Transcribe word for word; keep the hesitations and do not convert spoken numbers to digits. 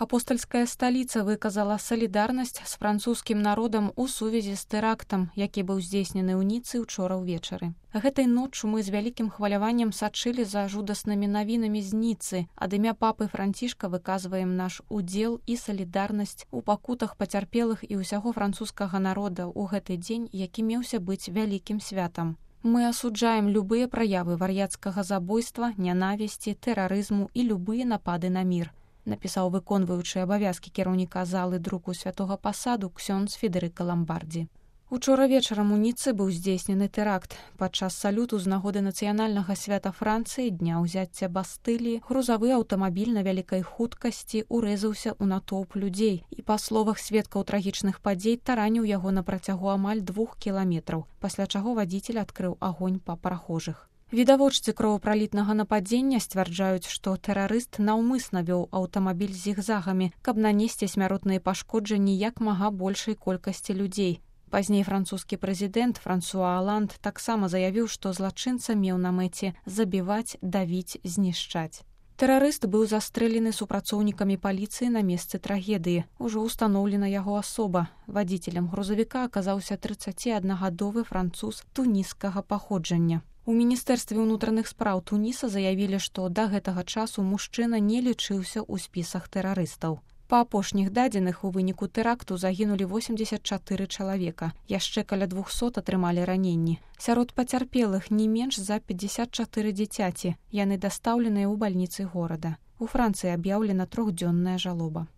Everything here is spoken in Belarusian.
Апостальская сталіца выказала салідарнасць з французскім народам у сувязі з тэрактам, які быў здзейснены ў Ніцы ўчора ўвечары. Гэтай ноччу мы з вялікім хваляваннем сачылі за жудаснымі навінамі з Ніцы. Ад імя папы Францішка выказваем наш удзел і салідарнасць у пакутах пацярпелых і ўсяго французскага народа ў гэты дзень, які меўся быць вялікім святам. Мы асуджаем любыя праявы вар'яцкага забойства, нянавісці, тэрарызму і любыя напады на мір, напісаў выконваючы абавязкі кіраўніка залы друку святога пасаду ксёндз Федэрыка Ламбардзі. Учора вечарам у Ніцы быў здзейснены тэракт. Падчас салюту з нагоды нацыянальнага свята Францыі, дня ўзяцця Бастыліі, грузавы аўтамабіль на вялікай хуткасці урэзаўся ў натоўп людзей і, па словах сведкаў трагічных падзей, тараніў яго на працягу амаль двух кіламетраў, пасля чаго вадзіцель адкрыў агонь па прахожых. Відавочцы кровапралітнага нападзення сцвярджаюць, што тэрарыст наўмысна вёў аўтамабіль зігзагамі, каб нанесці смяротныя пашкоджанні як мага большай колькасці людзей. Пазней французскі прэзідэнт Франсуа Аланд таксама заявіў, што злачынца меў на мэце забіваць, давіць, знішчаць. Тэрарыст быў застрэлены супрацоўнікамі паліцыі на месцы трагедыі. Ужо ўстаноўлена яго асоба. Вадзіцелем грузавіка аказаўся трыццаціаднагадовы француз туніскага паходжання. У міністэрстве ўнутраных спраў Туніса заявілі, што да гэтага часу мужчына не лічыўся ў спісах тэрарыстаў. Па апошніх дадзеных у выніку тэракту загінулі восемдзесят чатыры чалавека, яшчэ каля двухсот атрымалі раненні. Сярод пацярпелых не менш за пятьдесят чатыры дзіцяці, яны дастаўленыя ў бальніцы горада. У Францыі аб'яўлена трохдзённая жалоба.